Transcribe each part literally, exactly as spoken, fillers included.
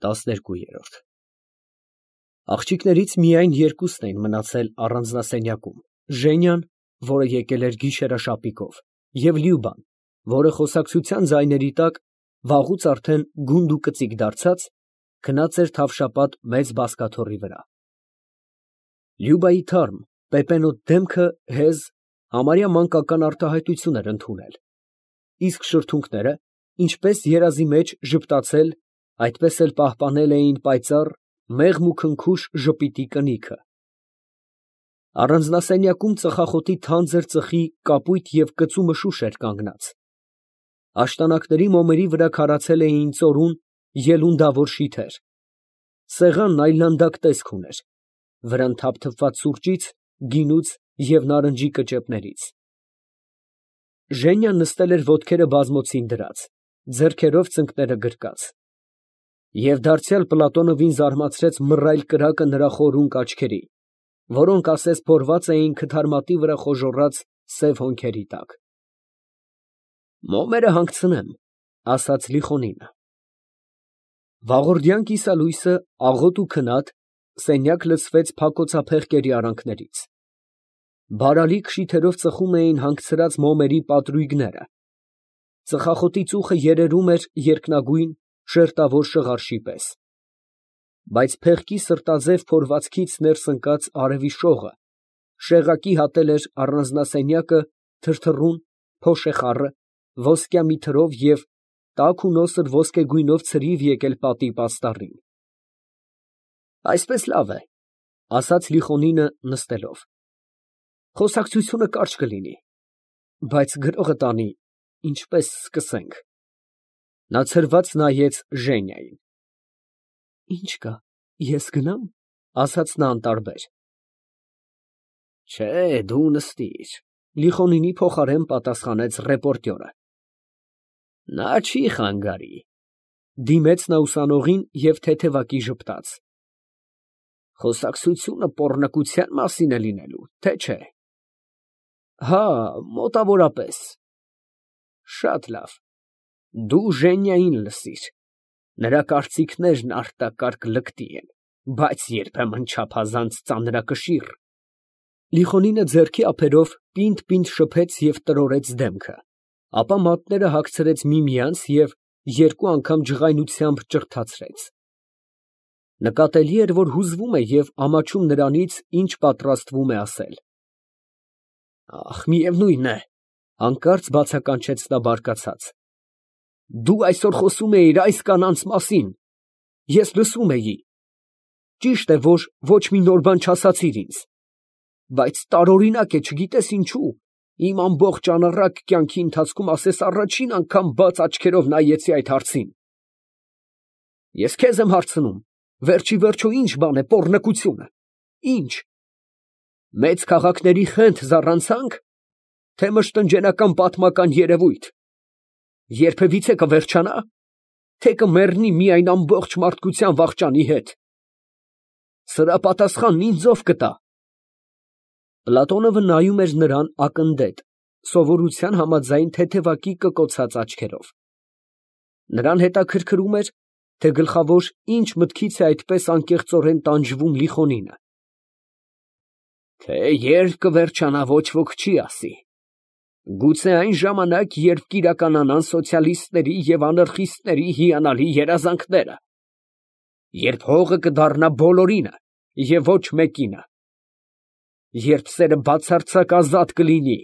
տասներկու։ Աղջիկներից միայն երկուսն էին մնացել առանձնասենյակում. Ժենյան, որը եկել էր գիշերաշապիկով, և Լյուբան, որը խոսակցության ձայների տակ, վաղուց արդեն գունդ ու կծիկ դարձած, քնած էր թավշապատ մեծ բազկաթոռի վրա։ Լյուբայի թարմ, պեպենոտ դեմքը հեզ, համարյա մանկական արտահայտություն էր ընդունել, իսկ շրթունքները, ինչպես երազի մեջ ժպտացել, այդպես էլ պահպանել էին պայծառ, մեղմ ու քնքուշ ժպիտի կնիքը։ Առանձնասենյակում ծխախոտի թանձր ծխի կապույտ և կծու մշուշ էր կանգնած, աշտանակների մոմերի վրա քարացել էին ծորուն, ելունդավոր շիթեր, սեղանն այլանդակ տեսք ուներ, վրան թափթփված սուրճից, գինուց և նարնջի կճեպներից։ Ժենյան նստել էր ոտքերը բազմոցին դրած, ձեռքերով ծնկները գրկած, և դարձյալ Պլատոնովին զարմացրեց մռայլ կրակը նրա խորունկ աչքերի, որոնք ասես փորված էին քթարմատի վրա խոժոռած սև հոնքերի տակ։ Մոմերը հանգցնեմ, ֊ ասաց Լիխոնինը։ Վաղորդյան կիսալույսը, աղոտ ու քնած, սենյակ լցվեց փակոցափեղկերի արանքներից։ Բարալիկ շիթերով ծխում էին հանգցրած մոմերի պատրույգները, ծխախոտի ծուխը երերում էր երկնագույն, շերտավոր շղարշի պես, բայց փեղկի սրտաձև փորվածքից ներս ընկած արևի շողը շեղակի հատել էր առանձնասենյակը թրթռուն, փոշեխառը, ոսկյա մի թրով և տաք ու նոսր ոսկեգույնով ցրիվ եկել պատի պաստառին։ Այսպես լավ է, ֊ ասաց Լիխոնինը, նստելով, խոսակցությունը կարճ կլինի, բայց գրողը տանի, ինչպես սկսենք։ Նա ցրված նայեց Ժենիային։ Ի՞նչ կա, ես գնա՞մ, ֊ ասաց նա անտարբեր։ Չէ, դու նստիր, ֊ Լիխոնինի փոխարեն պատասխանեց ռեպորտյորը։ Նա չի խանգարի, ֊ դիմեց նա ուսանողին և թեթևակի ժպտաց։ Խոսակցությունը պոռնկության մասին է լինելու, թե չէ։ Հա, մոտավորապես։ Շատ լավ, դու Ժենիային լսիր, նրա կարծիքներն արտակարգ լկտի են, բայց երբեմն չափազանց ծանրակշիռ։ Լիխոնինը ձեռքի ափերով պինդ֊պինդ շփեց և տրորեց դեմքը, ապա մատները հագցրեց միմյանց և երկու անգամ ջղայնությամբ ճռթացրեց։ Նկատելի էր, որ հուզվում է և ամաչում նրանից, ինչ պատրաստվում է ասել։ Ախ, միևնույն է, ֊ հանկարծ բացականչեց նա բարկացած, դու այսօր խոսում էիր այս կանանց մասին, ես լսում էի, ճիշտ է, որ ոչ մի նոր բան չասացիր ինձ, բայց տարօրինակ է, չգիտես ինչու, իմ ամբողջ անառակ կյանքի ընթացքում ասես առաջին անգամ բաց աչքերով նայեցի այդ հարցին։ Ես քեզ եմ հարցնում, վերջիվերջո ի՞նչ բան է պոռնկությունը, ի՞նչ, մեծ քաղաքների խենթ զառանցա՞նք, թե մշտնջենական պատմական երևույթ, երբևիցե կվերջանա, թե կմեռնի միայն ամբողջ մարդկության վախճանի հետ։ Սրա պատասխանն ինձ ով կտա։ Պլատոնովը նայում էր նրան ակնდետ, սովորության համաձայն թեթևակի կկոցած աչքերով։ Նրան հետաքրքրում էր, թե գլխավոր ինչ մտքից է այդպես անկեղծորեն տանջվում Լիխոնինը։ Թե երբ կվերջանա, ոչ ոք չի ասի։ Գուցե այն ժամանակ, երբ կիրականանան սոցիալիստների և անարխիստների հիանալի երազանքները, երբ հողը կդառնա բոլորինը և ոչ մեկինը, երբ սերը բացարձակ ազատ կլինի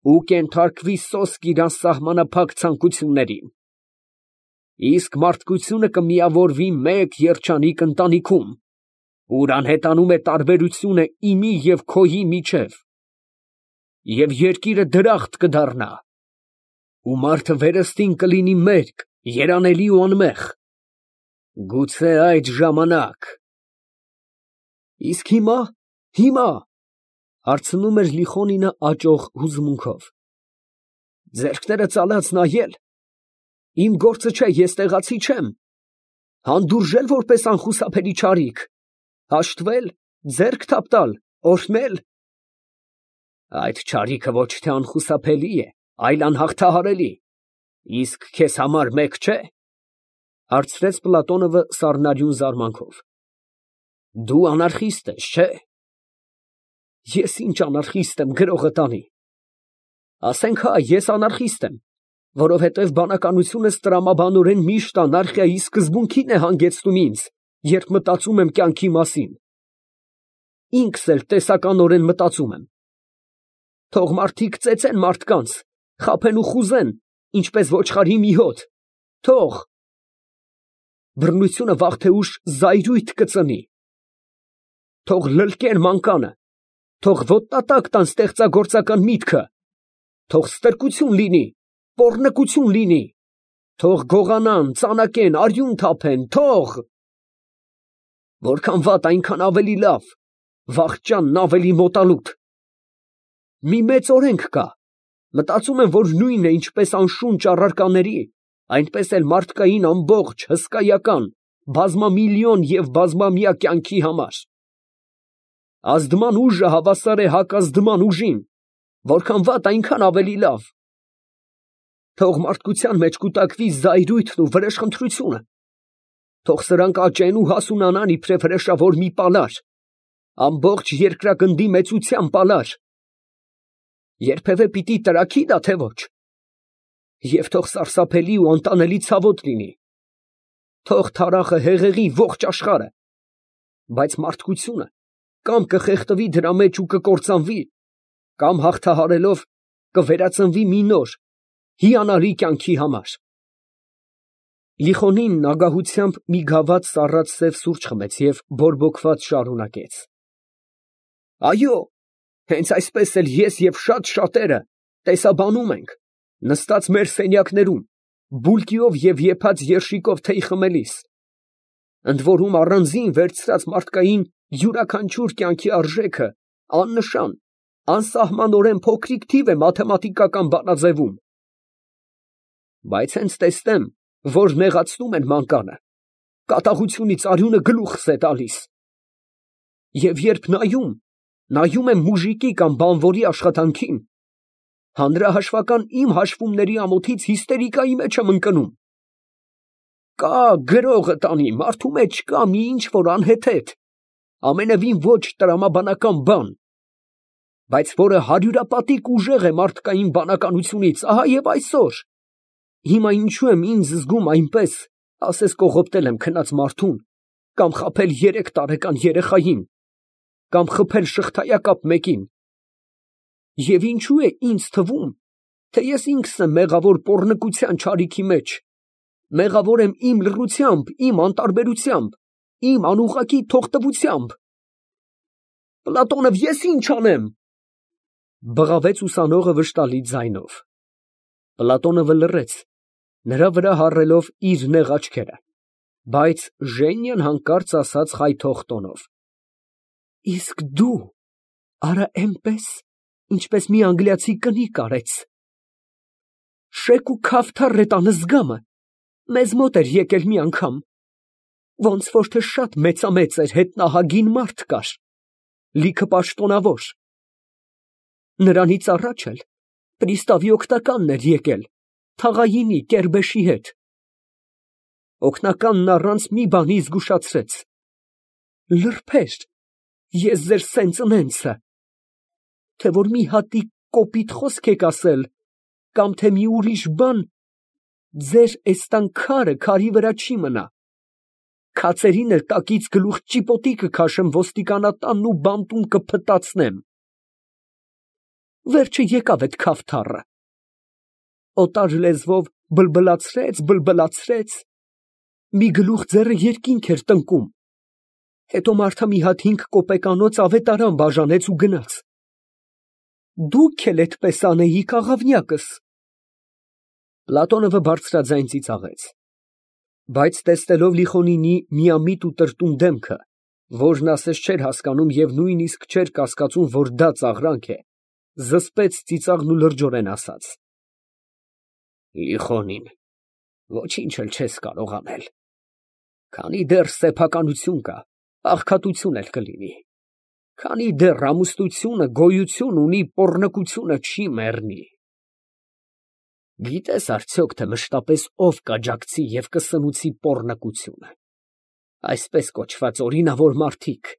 ու կենթարկվի սոսկ իրան սահմանափակ ցանկություններին, իսկ մարդկությունը կմիավորվի մեկ երջանիկ ընտանիքում, ուր անհետանում է տարբերությունը իմի և քոյի միջև, և երկիրը դրախտ կդառնա, ու մարդը վերստին կլինի մերկ, երանելի ու անմեղ, գուցե այդ ժամանակ… Իսկ հիմա, հիմա, ֊ հարցնում էր Լիխոնինը աճող հուզմունքով, ձեռքները ծալած նայել, իմ գործը չէ, ես տեղացի չեմ, հանդուրժել որպես անխուսափելի չարիք, հաշտվել, ձեռք թափ տալ, օրհնել… Այդ չարիքը ոչ թե անխուսափելի է, այլ անհաղթահարելի, իսկ քեզ համար մեկ չէ։ Հարցրեց Պլատոնովը սառնարյուն զարմանքով։ Դու անարխիստ ես, չէ՞։ Ես ինչ անարխիստ եմ, գրողը տանի։ Ասենք հա, ես անարխիստ եմ, որովհետև բանականությունս տրամաբանորեն միշտ անարխիայի սկզբունքին է հանգեցնում ինձ, երբ մտածում եմ կյանքի մասին։ Ինքս էլ տեսականորեն մտածում եմ։ Թող մարդիկ ծեծեն մարդկանց, խաբեն ու խուզեն, ինչպես ոչխարի մի հոտ, թող։ Բռնությունը վաղ թե ուշ զայրույթ կծնի։ Թող լլկեն մանկանը, թող ոտնատակ տան ստեղծագործական միտքը, թող ստրկություն լինի, պոռնկություն լինի, թող գողանան, ծանակեն, արյուն թափեն, թող։ Որքան վատ, այնքան ավելի լավ, վախճանն ավելի մոտալուտ։ Մի մեծ օրենք կա, մտածում եմ, որ նույնն է, ինչպես անշունչ առարկաների, այնպես էլ մարդկային ամբողջ, հսկայական, բազմամիլիոն և բազմամյա կյանքի համար։ Ազդման ուժը հավասար է հակազդման ուժին, որքան վատ, այնքան ավելի լավ։ Թող մարդկության մեջ կուտակվի զայրույթն ու վրեժխնդրությունը, թող սրանք աճեն ու հասունանան իբրև հրեշավոր մի պալար, ամբողջ երկրագնդի մեծության պալար։ Երբևէ պիտի տրաքի դա, թե ոչ։ Եվ թող սարսափելի ու անտանելի ցավոտ լինի։ Թող թարախը հեղեղի ողջ աշխարհը, բայց մարդկությունը կամ կխեղդվի դրա մեջ ու կկործանվի, կամ հաղթահարելով կվերածնվի մի նոր, հիանալի կյանքի համար։ Լիխոնինն ագահությամբ մի գավաթ սառած սև սուրճ խմեց և բորբոքված շարունակեց. Այո, հենց այսպես էլ ես և շատ շատերը տեսաբանում ենք, նստած մեր սենյակներում, բուլկիով և եփած երշիկով թեյ խմելիս, ընդ որում առանձին վերցրած մարդկային յուրաքանչյուր կյանքի արժեքը աննշան, անսահմանորեն փոքրիկ թիվ է մաթեմատիկական բանաձևում։ Բայց հենց տեսնեմ, որ նեղացնում են մանկանը, կատաղությունից արյունը գլուխս է տալիս։ Եվ երբ նայում, նայում եմ մուժիկի կամ բանվորի աշխատանքին, հանրահաշվական իմ հաշվումների ամոթից հիստերիկայի մեջ եմ ընկնում։ Կա գրողը տանի, մարդու մեջ կա մի ինչ-որ անհեթեթ, ամենևին ոչ տրամաբանական բան, բայց որը հարյուրապատիկ ուժեղ է մարդկային բանականությունից, ահա և այսօր։ Հիմա ինչու եմ ինձ զգում այնպես, ասես կողոպտել եմ քնած մարդուն, կամ խաբել երեք տարեկան երեխային, կամ խփել շղթայակապ մեկին։ Եվ ինչու է ինձ թվում, թե ես ինքս եմ մեղավոր պոռնկության չարիքի մեջ, մեղավոր եմ իմ լռությամբ, իմ անտարբերությամբ, իմ անուղղակի թողտվությամբ։ Պլատոնով, ես ի՞նչ անեմ, բղավեց ուսանողը վշտալի ձայնով։ Պլատոնովը լռեց, նրա վրա հառելով իր նեղ աչքերը, բայց Ժենյան հանկարծ ասաց խայթող տոնով. Իսկ դու արա էնպես, ինչպես մի անգլիացի կնիկ արեց։ Շեկ ու քավթար է տանը զգամը, մեզ մոտ էր եկել մի անգամ, ոնց որ թե շատ մեծամեծ էր, հետնահագին մարդ կար, լիքը պաշտոնավոր։ Նրանից առաջ էլ պրիստավի օգնականն էր եկել, թաղայինի կերբեշի հետ։ Օգնականն առանց մի բանի զգուշացրեց. լրբեր, ես ձեր սենծնենցը, թե որ մի հատիկ կոպիտ խոսք եք ասել, կամ թե մի ուրիշ բան, ձեր էստան քարը քարի վրա չի մնա, քացերին էլ տակից գլուխ ճիպոտի կքաշեմ ոստիկանատանն ու բանտում կփտացնեմ։ Վերջը եկավ էդ քավթառը, օտար լեզվով բլբլացրեց, բլբլացրեց, մի գլուխ ձեռը երկինք էր տնկում, հետո մարդը մի հատ հինգ կոպեկանոց ավետարան բաժանեց ու գնաց։ Դուք էլ էդպես անեիք, աղավնյակս։ Պլատոնովը բարձրաձայն ծիծաղեց, բայց տեսնելով Լիխոնինի միամիտ ու տրտում դեմքը, որն ասես չէր հասկանում և նույնիսկ չէր կասկածում, որ դա ծաղրանք է, զսպեց ծիծաղն ու լրջորեն ասաց. Լիխոնին, ոչինչ էլ չես կարող անել, քանի դեռ սեփականություն կա, աղքատություն էլ կլինի, քանի դեռ ամուսնությունը գոյություն ունի, պոռնկությունը չի մեռնի։ Գիտես արդյոք, թե մշտապես ով կաջակցի և կսնուցի պոռնկությունը, այսպես կոչված օրինավոր մարդիկ,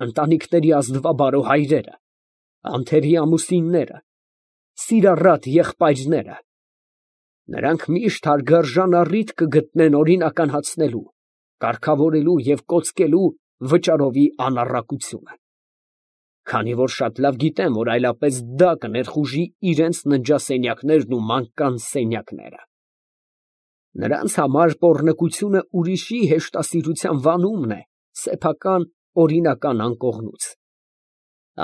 ընտանիքների ազնվաբարո հայրերը, անթերի ամուսինները, սիրառատ եղբայրները, նրանք միշտ հարգարժան առիթ կգտնեն օրինականացնելու, կարգավորելու և կոծկելու վճարովի անառակությունը, քանի որ շատ լավ գիտեն, որ այլապես դա կներխուժի իրենց ննջասենյակներն ու մանկան սենյակները. նրանց համար պոռնկությունը ուրիշի հեշտասիրության վանումն է սեփական օրինական անկողնուց,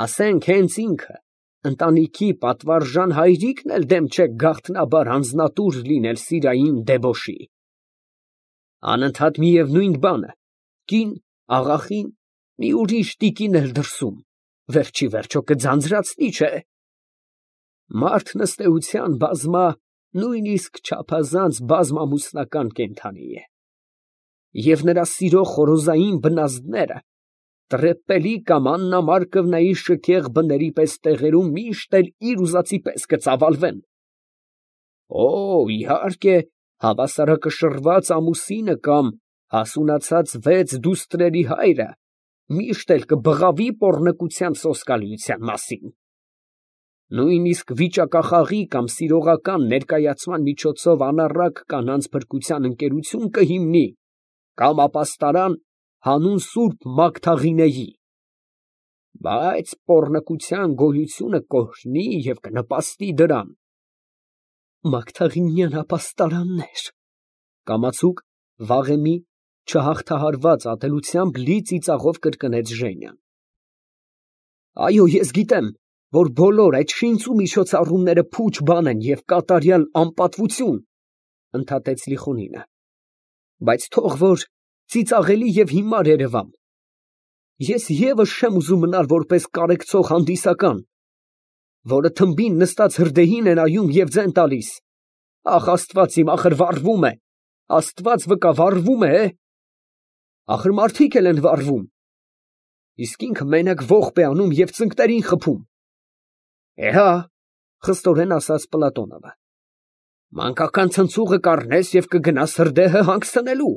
ասենք հենց ինքը, ընտանիքի պատվարժան հայրիկն էլ դեմ չէ գաղտնաբար անձնատուր լինել սիրային դեբոշի, անընդհատ միևնույն բանը, կին, աղախին, մի ուրիշ տիկին էլ դրսում, վերջ ի վերջո կձանձրացնի, չէ՞։ Մարդն ըստ էության բազմա, նույնիսկ չափազանց բազմամուսնական կենդանի է, և նրա սիրո խորոզային բնազդները տրեպպելի կամ աննամար կվնայի շքեղ բների պես տեղերում միշտ էլ իր ուզածի պես կծավալվեն։ Օ, իհարկե, հավասարակշռված ամուսինը կամ հասունացած վեց դուստրերի հայրը միշտ էլ կբղավի պոռնկության սոսկալիության մասին, նույնիսկ վիճակախաղի կամ սիրողական ներկայացման միջոցով անառակ կանանց փրկության ընկերություն կհիմնի կամ ապաստարան հանուն սուրբ Մագդաղինեի, բայց պոռնկության գոյությունը կօրհնի և կնպաստի դրան։ Մագդաղինյան ապաստարաննե՞ր, կամացուկ, վաղեմի չհաղթահարված ատելությամբ լի ծիծաղով կրկնեց Ժենյան։ Այո, ես գիտեմ, որ բոլոր այդ շինծու միջոցառումները փուչ բան են և կատարյալ անպատվություն, ընդհատեց Լիխոնինը, բայց թող որ ծիծաղելի և հիմար երևամ, ես ևս չեմ ուզում մնալ որպես կարեկցող հանդիսական, որը թմբին նստած հրդեհին է նայում և ձեն տալիս, ախ, աստված իմ, ախր վառվում է, աստված վկա, վառվում է, ախր մարդիկ էլ են վառվում, իսկ ինքը մենակ ողբ է անում և ծնկներին խփում։ Էհա, խստորեն ասաց Պլատոնովը, մանկական ցնցուղը կառնես և կգնաս հրդեհը հանգցնելու։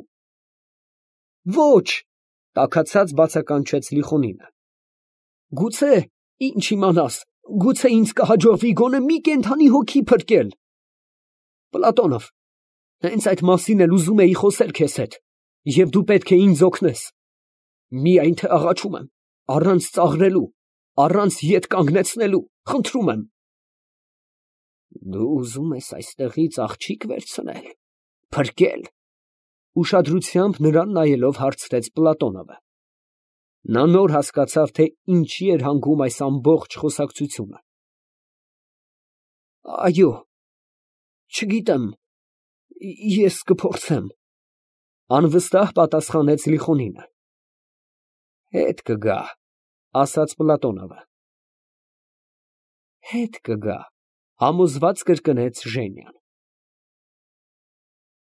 Ոչ, տաքացած բացականչեց Լիխոնինը, գուցե, ինչ իմանաս, գուցե ինձ կհաջողվի գոնե մի կենդանի հոգի փրկել։ Պլատոնով, հենց այդ մասին էլ ուզում էի խոսել քեզ հետ, և դու պետք է ինձ օգնես, միայն թե աղաչում եմ, առանց ծաղրելու, առանց ետ կանգնեցնելու, խնդրում եմ։ Դու ուզում ես այստեղից աղջիկ վերցնել, փրկել, ուշադրությամբ նրան նայելով հարցրեց Պլատոնովը։ Նա նոր հասկացավ, թե ինչի էր հանգում այս ամբողջ խոսակցությունը։ Այո, չգիտեմ, ես կփորձեմ, անվստահ պատասխանեց Լիխոնինը։ Հետ կգա, ասաց Պլատոնովը։ Հետ կգա, համոզված կրկնեց Ժենյան։